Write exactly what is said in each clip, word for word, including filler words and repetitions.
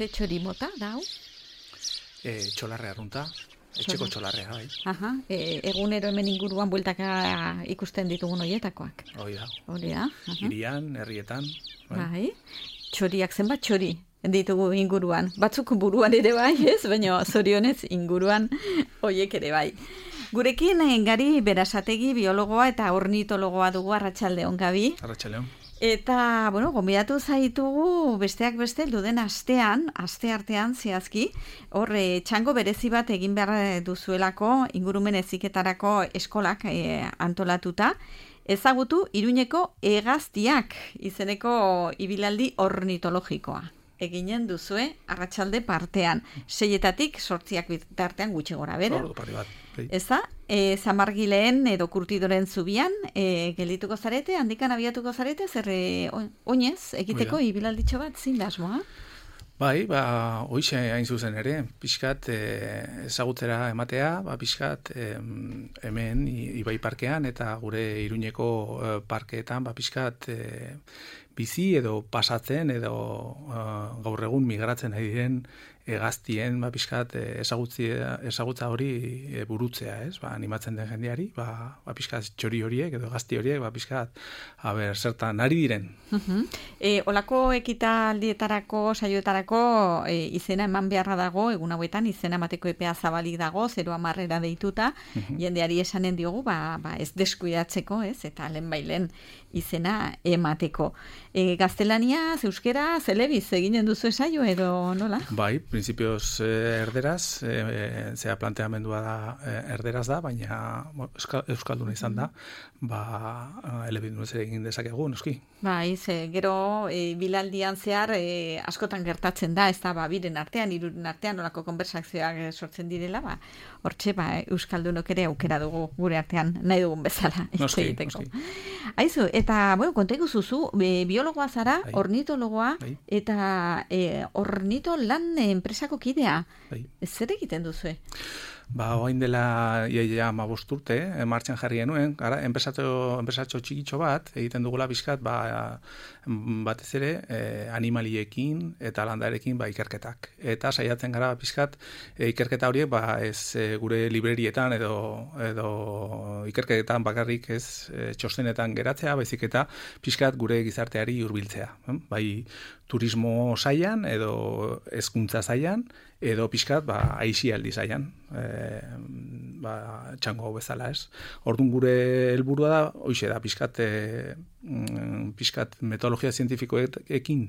Ze txori mota, da, hau? E, txolarrea arrunta, etxeko txolarrea, bai. Aha, e, egunero hemen inguruan bueltaka ikusten ditugun horietakoak. Hoi da. Hori da. Hirian, herrietan. Bai. bai. Txoriak zenbat txori ditugu inguruan. Batzuk buruan ere bai, ez? Baina zorionez inguruan horiek ere bai. Gurekin Gari Berasategi biologoa eta ornitologoa dugu. Arratsaldeon, Gabi. Arratsaldeon. Eta, bueno, gonbidatu zaitugu besteak beste duden astean, aste artean zehazki, hor e, txango berezi bat egin behar duzuelako ingurumen heziketarako eskolak e, antolatuta, ezagutu Iruñeko hegaztiak izeneko ibilaldi ornitologikoa. Eginen duzue arratsalde partean, seietatik sortziak bitartean gutxi gora bera. Ordu pare bat. Eza, e, Zamargileen edo Kurtidoren zubian e, geldituko zarete, handikan abiatuko zarete, zer e, oinez egiteko Oida. Ibilalditxo bat zin da asmoa? Bai, ba, hoixe hain zuzen ere, pixkat e, ezagutzera ematea, ba, pixkat e, hemen Ibai parkean eta gure Iruñeko e, parkeetan, ba, pixkat e, bizi edo pasatzen edo uh, gaur egun migratzen ari diren hegaztien ba pixkat ezagutza hori e, burutzea, ez? Ba, animatzen den jendeari, ba, ba pixkat txori horiek edo hegazti horiek, ba pixkat a ber, zertan ari diren. Uh-huh. E, olako ekitaldietarako, saioetarako e, izena eman beharra dago, egun hauetan izena emateko epea zabalik dago, zero amarrera deituta, uh-huh. jendeari esanen diogu, ba, ba ez deskuidatzeko, ez? Eta lehen bailen izena emateko. E, gaztelania, euskera, zelebiz eginen duzu esaio edo nola? Bai, prinsipioz eh, erderaz, eh, zera planteamendua da eh, erderaz da, baina euskal, euskalduna izan da, ba, elebidunez ere egin dezakegu, noski. Bai, ze, gero e, bilaldian zehar e, askotan gertatzen da, ez da, ba, biren artean, iruren artean, olako konversazioak sortzen direla, ba, hortxe, ba, euskaldunok ere aukera dugu gure artean, nahi dugun bezala. Noski, noski. Aizu, eta, bueno, kontegu zuzu, e, biologoa zara, bai. Ornitologoa, bai. Eta e, ornito lan enpresako kidea. Bai. Zer egiten duzue? Ba, oain dela iaia ma bosturte, eh, martxan jarri genuen, gara, enpresatxo, enpresatxo txikitxo bat, egiten dugula bizkat, ba, batez ere, eh, animaliekin eta landarekin ba, ikerketak. Eta saiatzen gara bizkat, eh, ikerketa horiek, ba, ez eh, gure librerietan edo, edo ikerketan bakarrik ez eh, txostenetan geratzea, baizik eta bizkat gure gizarteari hurbiltzea. Eh? Bai, turismo saian edo hezkuntza saian edo pixkat ba aisialdi saian e, ba txango bezala, ez. Ordun gure helburua da hoixe da pixkat e, pixkat metodologia zientifikoekin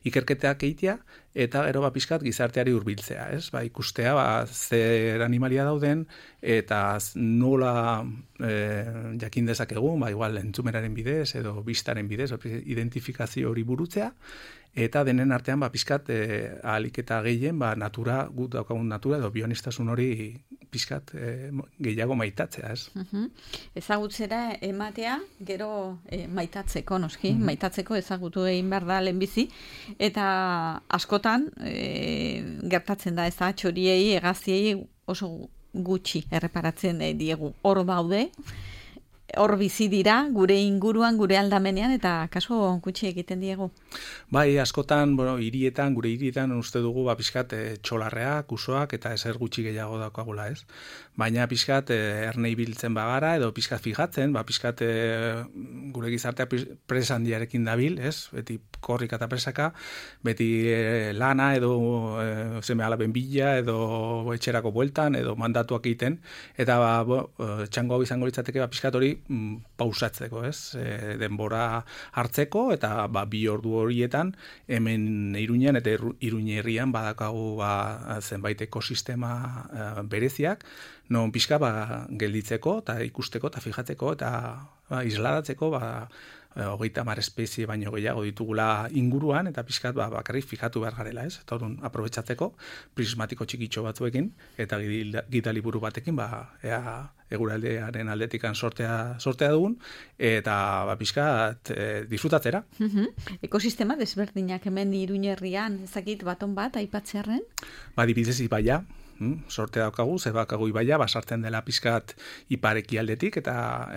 ikerketak egitea eta gero ba pixkat gizarteari hurbiltzea, ez. Ba ikustea ba zer animalia dauden eta nola e, jakin dezakegun, ba igual entzumeraren bidez edo bistaren bidez identifikazio hori burutzea. Eta denen artean, ba, pixkat, e, ahalik eta gehien, ba, natura, gut daukagun natura, edo bionistasun hori pixkat e, gehiago maitatzea, ez? Uh-huh. Ezagutzera ematea, gero e, maitatzeko, noski, uh-huh. maitatzeko ezagutu egin behar da lehenbizi, eta askotan e, gertatzen da, ez da, txoriei, hegaztiei oso gutxi erreparatzen e, diegu. Hor daude, hor bizi dira, gure inguruan, gure aldamenean, eta kasu gutxi egiten diegu. Bai, askotan, bueno, hirietan, gure hirietan uste dugu, ba, pixkat, e, txolarreak, usoak, eta ezer gutxi gehiago daukagula, ez? Baina pixkat, e, ernei biltzen bagara, edo pixkat fijatzen, ba, pixkat, e, gure gizartea presandiarekin dabil, ez? Beti korrika eta presaka, beti e, lana, edo e, zeme alaben bila, edo etxerako bueltan, edo mandatuak egiten, eta, ba, bo, txango hau izango litzateke, ba, pixkat hori pausatzeko, ez? E, denbora hartzeko eta ba, bi ordu horietan hemen Iruñean eta Iruñe herrian badakagu ba, zenbait ekosistema uh, bereziak, non pixka ba, gelditzeko eta ikusteko eta fijatzeko eta ba, isladatzeko ba, hogeita hamar espezie baino gehiago ditugula inguruan, eta pixkat ba, bakarrik fijatu behar garela, ez? Eta orduan aprobetxatzeko prismatiko txikitxo batzuekin eta gida liburu batekin ba, ea eguraldearen aldetikan sortea, sortea dugun, eta ba, pixkat e, disfrutatzera. Uh-huh. Ekosistema desberdinak hemen Iruñerrian, ezakit baton bat aipatzearren? Ba, dibidez ibaia, Hmm, sorte daukagu, ze bakagu ibaia, basartzen dela pizkat ipareki aldetik, eta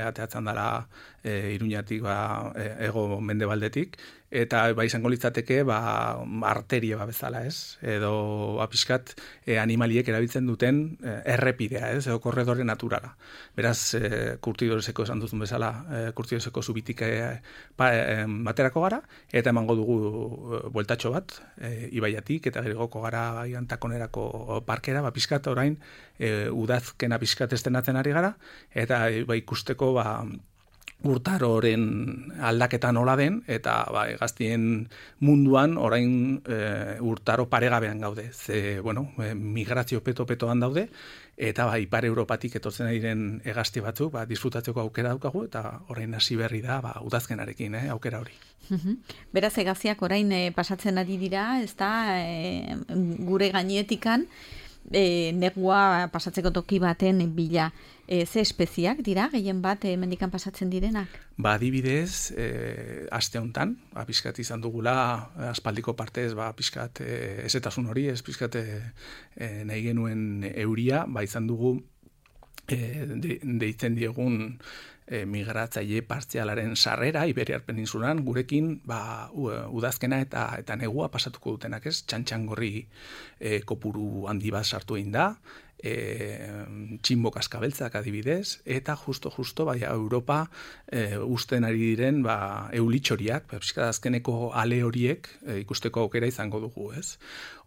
ateatzen dela e, Iruñatik ba, e, ego mendebaldetik, eta ba izango litzateke ba arteria ba bezala, ez? Edo ba pixkat e, animaliek erabiltzen duten e, errepidea, ez? Edo korredore naturala. Beraz, e, Kurtidoreseko esan duzun bezala, e, Kurtidoreseko zubitik e, ba, e, baterako gara, eta emango dugu e, bueltatxo bat, e, ibaiatik, eta gerigoko gara Antakonerako parkera, ba pixkat orain e, udazkena pixkat estenatzen ari gara, eta e, ba ikusteko ba urtaroren aldaketa nola den, eta ba, hegaztien munduan orain e, urtaro paregabean gaude. Ze, bueno, e, migrazio peto-petoan daude, eta ba, Ipar Europatik etortzen ari diren hegazti batzuk ba, disfrutatzeko aukera daukagu, eta orain hasi berri da ba, udazkenarekin, eh, aukera hori. Beraz, hegaztiak orain e, pasatzen ari dira, ez da, e, gure gainetikan, E, negua pasatzeko toki baten bila. E, ze espeziak dira, gehien bat e, mendikan pasatzen direnak? Ba, adibidez, e, aste hontan, ba, pixkat izan dugula, aspaldiko partez, ba, pixkat e, ezetasun hori, ez pixkat e, e, nahi genuen euria, ba, izan dugu e, de, deitzen diegun e, migratzaile partzialaren sarrera Iberiar Peninsulan gurekin ba, udazkena eta eta negua pasatuko dutenak, ez? Txantxangorri e, kopuru handi bat sartu egin da, e, txinbo kaskabeltzak adibidez, eta justo-justo bai, Europa e, usten ari diren ba, eulitxoriak, ba, azkeneko ale horiek e, ikusteko aukera izango dugu, ez?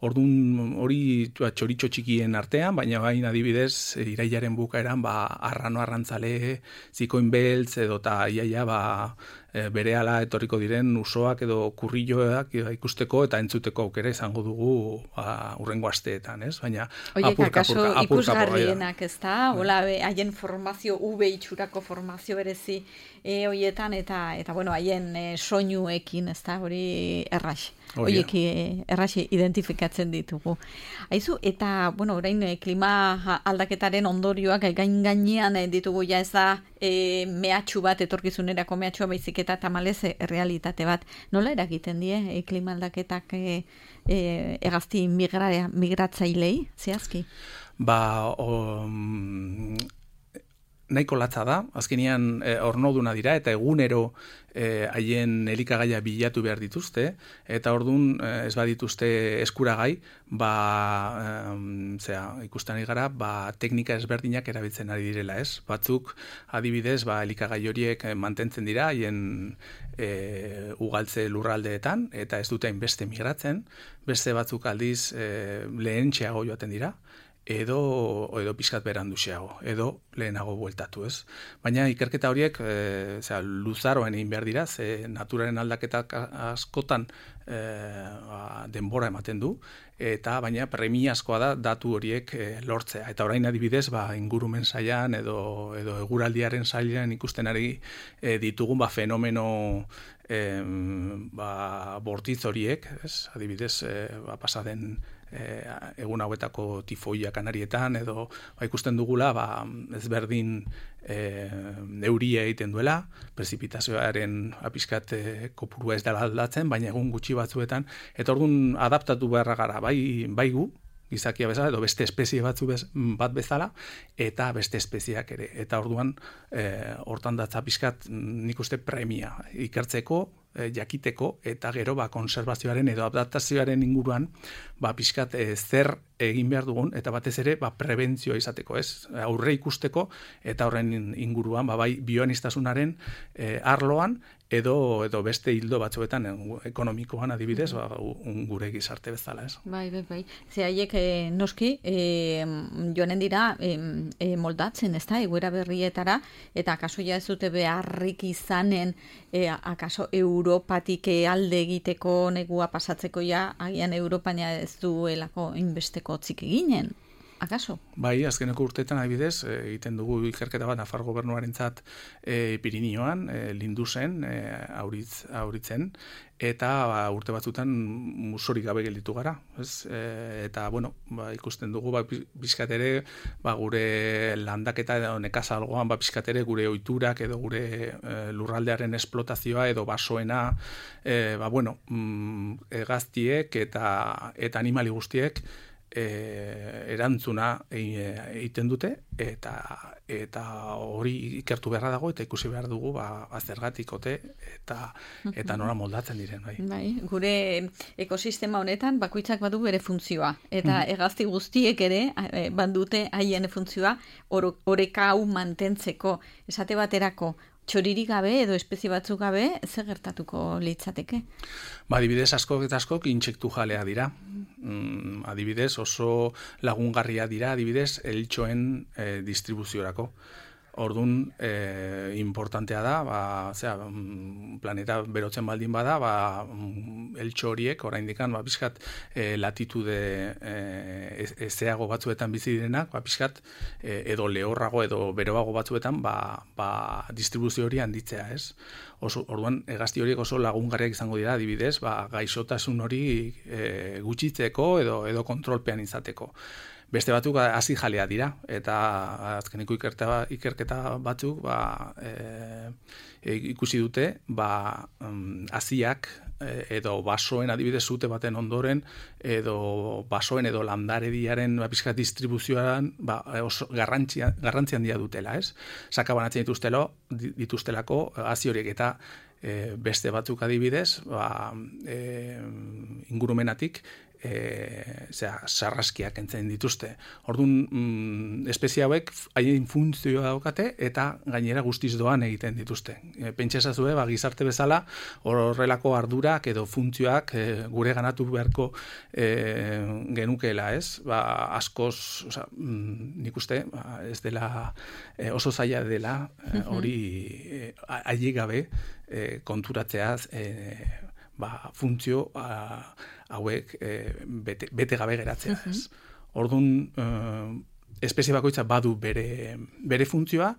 Ordun hori txoritxo txikien artean, baina bain adibidez irailaren bukaeran ba, arrano arrantzale, zikoin beltz edo ta iaia ba, e, berehala etorriko diren usoak edo kurrilloak ikusteko eta entzuteko aukera izango dugu ba, urrengo asteetan, ez? Baina Oiek, akaso ikusgarrienak, ez da? Hola, haien formazio, U B itxurako formazio berezi e, hoietan, eta, eta bueno, haien e, soinuekin, ez da? Hori errax. Oiek errax identifikatzen ditugu. Aizu, eta, bueno, orain e, klima aldaketaren ondorioak gain gainean e, ditugu ja ez da e, mehatxu bat, etorkizunerako mehatxua baizik eta tamalez e, realitate bat. Nola eragiten die e, klima aldaketak e, e, hegazti migra, migratzailei, zehazki? Ba, um, nahiko latza da, azkenean e, ornoduna dira, eta egunero e, haien elikagaia bilatu behar dituzte, eta ordun e, ez badituzte eskuragai, ba, e, zera, ikusten ari gara, ba, teknika ezberdinak erabiltzen ari direla, ez? Batzuk, adibidez, ba, elikagai horiek mantentzen dira, haien e, ugaltze lurraldeetan, eta ez dute hainbeste migratzen, beste batzuk aldiz e, lehentxeago joaten dira, edo edo pixkat beranduxeago, edo lehenago bueltatu, ez? Baina ikerketa horiek e, zera, luzaroen egin behar dira, ze naturaren aldaketak askotan e, ba, denbora ematen du, eta baina premiazkoa da datu horiek e, lortzea. Eta orain adibidez, ba, ingurumen sailan edo, edo eguraldiaren sailan ikusten ari e, ditugun ba, fenomeno e, ba, bortitz horiek, ez? Adibidez, e, ba, pasaden E, egun hauetako tifoia Kanarietan edo ba, ikusten dugula ba, ezberdin e, neuria egiten duela, prezipitazioaren apiskat e, kopurua ez dela aldatzen, baina egun gutxi batzuetan, eta orduan adaptatu beharra gara, bai, bai gu, gizakia bezala, edo beste espezie batzu bez, bat bezala, eta beste espeziak ere. Eta orduan, e, hortan datza pixkat nik uste premia ikertzeko, e, jakiteko, eta gero ba, konservazioaren edo adaptazioaren inguruan, ba, pixkat e, zer egin behar dugun, eta batez ere ba, prebentzioa izateko, ez? Aurre ikusteko, eta horren inguruan, ba, bai, bioanistasunaren e, arloan, edo edo beste hildo batzuetan ekonomikoan adibidez, ba, gure gizarte bezala, ez? Bai, bai, bai. Ze haiek e, noski e, joanen dira e, e, moldatzen, ez da, egoera berrietara, eta akaso ja ez dute beharrik izanen, e, akaso Europatik alde egiteko negua pasatzeko ja, agian Europania ez duelako inbesteko txik eginen. Akaso? Bai, azkeneko urteetan adibidez, egiten dugu ikerketa bat Nafar gobernuarentzat e, Pirinioan, e, Lindusen, e, auritz, auritzen, eta ba, urte batzutan musorik gabe gelditu gara. Ez? E, eta, bueno, ba, ikusten dugu, ba, pixkatere, ba, gure landaketa edo nekazalgoan, ba, pixkatere gure ohiturak edo gure e, lurraldearen esplotazioa edo basoena, e, ba, bueno, mm, hegaztiek eta, eta animali guztiek, e, erantzuna egiten dute, eta eta hori ikertu beharra dago, eta ikusi behar dugu, ba, zergatik ote, eta, eta nola moldatzen diren. Bai. Bai, gure ekosistema honetan, bakoitzak badu bere funtzioa, eta mm. hegazti guztiek ere, bandute haien funtzioa, oreka hau mantentzeko, esate baterako, txoririk gabe edo espezie batzuk gabe, zer gertatuko litzateke? Ba, adibidez, askok eta askok intsektu jalea dira. Mm, adibidez, oso lagungarria dira, adibidez, eltxoen eh, distribuziorako. Orduan, eh, importantea da, ba, zera, planeta berotzen baldin bada, ba, eltxo horiek, oraindikan, ba, pixkat, eh, latitude eh, ezeago batzuetan bizi direnak, ba, pixkat, eh, edo lehorrago edo beroago batzuetan, ba, ba, distribuzio hori handitzea, ez? Oso, orduan, hegazti horiek oso lagungarriak izango dira, adibidez, ba, gaixotasun hori eh, gutxitzeko edo, edo kontrolpean izateko. Beste batzuk hasi jalea dira, eta azkeneko ikerketa, ikerketa batzuk ba, e, ikusi dute ba, haziak edo basoen adibidez zute baten ondoren, edo basoen edo landarediaren ba, pixka distribuzioan ba, oso garrantzia, garrantzi handia dutela, ez? Sakabanatzen dituztelo, dituztelako hazi horiek eta e, beste batzuk adibidez, ba, e, ingurumenatik, E, zera, sarraskiak entzen dituzte. Orduan, mm, espezie hauek haien funtzioa daukate eta gainera guztiz doan egiten dituzte. E, Pentsazazue, ba, gizarte bezala, horrelako ardurak edo funtzioak e, gure ganatu beharko e, genukeela, ez? Ba, askoz, oza, mm, nik uste, ba, ez dela e, oso zaila dela, hori e, haie gabe e, konturatzeaz e, ba, funtzio a, hauek e, bete, bete gabe geratzea. Ez. Orduan, e, espezie bakoitza badu bere, bere funtzioa,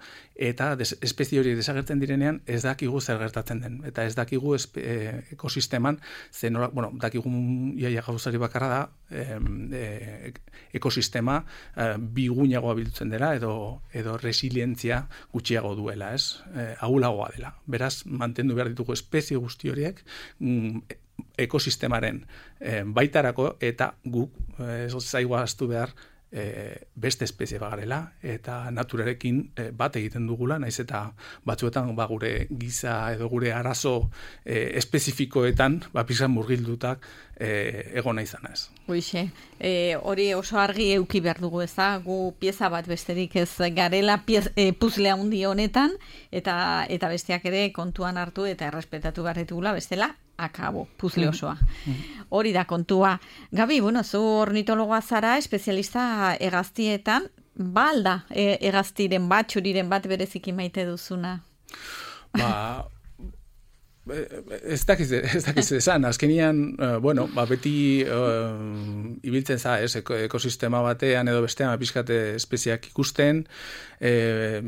eta des, espezie hori desagertzen direnean ez dakigu zer gertatzen den. Eta ez dakigu espe, e, ekosisteman, zenora, bueno, dakigu iaia gauzari bakarra da, e, e, ekosistema e, biguinagoa biltzen dela, edo, edo resilientzia gutxiago duela, ez? E, ahulagoa dela. Beraz, mantendu behar ditugu espezie guzti horiek, mm, ekosistemaren e, baitarako, eta guk ez zaigu ahaztu behar e, beste espezie bagarela, eta naturarekin e, bat egiten dugula, naiz eta batzuetan ba, gure giza edo gure arazo e, espezifikoetan ba, pizan murgildutak e, egona izan ez. Hoixe, e, hori oso argi euki behar dugu eza, gu pieza bat besterik ez garela piez, e, puzle handi honetan, eta, eta besteak ere kontuan hartu eta errespetatu behar ditugula, bestela, akabo, puzle osoa. Hori da kontua. Gabi, bueno, zu ornitologoa zara, espezialista hegaztietan, ba alda e, hegaztiren bat, txuriren bat bereziki maite duzuna? Ba, ez dakiz, ez dakiz esan, azkenian, uh, bueno, ba, beti uh, ibiltzen za, ez, ekosistema batean edo bestean pixkate espeziak ikusten, eh,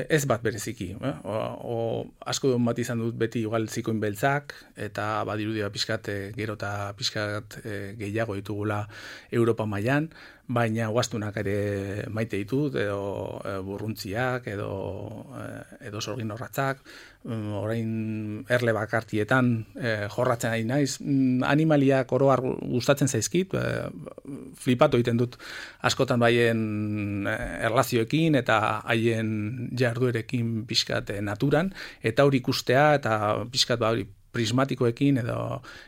ez bat bereziki. Eh? O, o, asko duen bat izan dut beti igual zikoin beltzak, eta badirudia pixkat gero eta pixkat eh, gehiago ditugula Europa mailan, baina guaztunak ere maite ditut, edo e, burruntziak, edo, e, edo sorgin horratzak, um, orain erle bakartietan e, jorratzen ari naiz. Mm, animaliak oroar gustatzen zaizkit, e, flipatu egiten dut askotan baien erlazioekin eta haien jarduerekin pixkat naturan, eta hori ikustea, eta pixkat ba hori prismatikoekin edo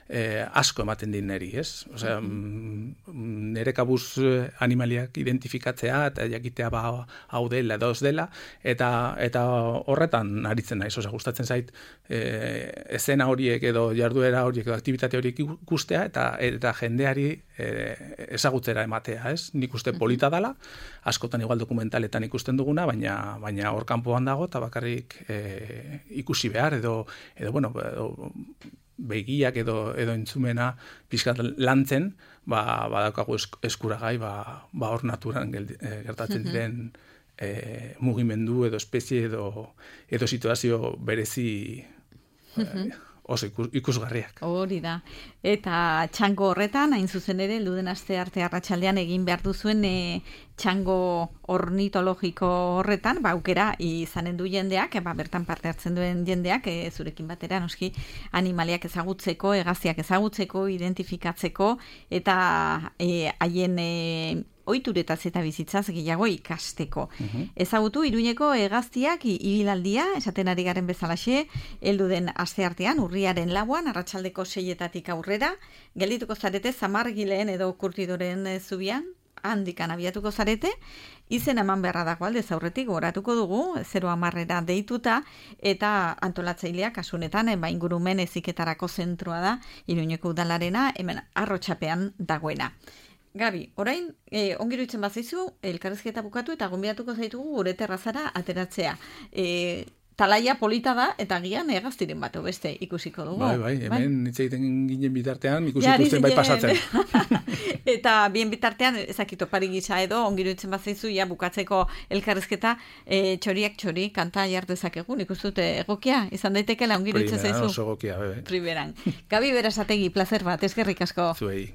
eh, asko ematen din neri, ez? Osea, mm, nere kabuz animaliak identifikatzea eta jakitea ba hau dela edo ez dela, eta eta horretan aritzen naiz, osea, gustatzen zait eh, esena horiek edo jarduera horiek edo aktibitate horiek ikustea eta eta jendeari eh, ezagutzera ematea, ez? Nik uste polita dela, askotan igual dokumentaletan ikusten duguna, baina baina hor kanpoan dago eta bakarrik eh, ikusi behar edo edo bueno, edo, begiak edo edo entzumena pixkat lantzen, ba badaukagu eskuragai, ba ba hor naturan gertatzen diren e, mugimendu edo espezie edo edo situazio berezi e, oso ikus, ikusgarriak. Hori da. Eta txango horretan, hain zuzen ere, luden aste arte arratsaldean egin behar duzuen e, txango ornitologiko horretan, ba, aukera izanen du jendeak, ba, bertan parte hartzen duen jendeak, e, zurekin batera, noski, animaliak ezagutzeko, hegaztiak ezagutzeko, identifikatzeko, eta e, haien e, ohituretaz eta bizitzaz gehiago ikasteko. Uh-huh. Ezagutu Iruñeko hegaztiak ibilaldia, esaten ari garen bezalaxe, heldu den asteartean, urriaren lauan, arratsaldeko seietatik aurrera, geldituko zarete Zamargileen edo Kurtidoren zubian, handikan abiatuko zarete, izen eman beharra dago aldez aurretik goratuko dugu, zero hamarrera deituta, eta antolatzaileak kasunetan, ba, ingurumen heziketarako zentroa da, Iruñeko udalarena, hemen Arrotxapean dagoena. Gabi, orain, eh, ongiruitzen bazaizu, elkarrizketa bukatu eta gonbidatuko zaitugu gure terrazara ateratzea. Eh, talaia polita da, eta gian hegaztiren bat beste ikusiko dugu. Bai, bai, hemen hitz egiten ginen bitartean, ikusiko zen bai pasatzen. Eta bien bitartean, ezakito pari gisa edo, ongiruitzen bazaizu, ja bukatzeko elkarrizketa, eh, txoriak txori, kanta jartezakegu, nik dute egokia, izan daitekela ongiruitzen zaizu. Primeran, oso egokia, bebe. Primeran. Gabi Berasategi, placer bat, eskerrik asko. Zuei.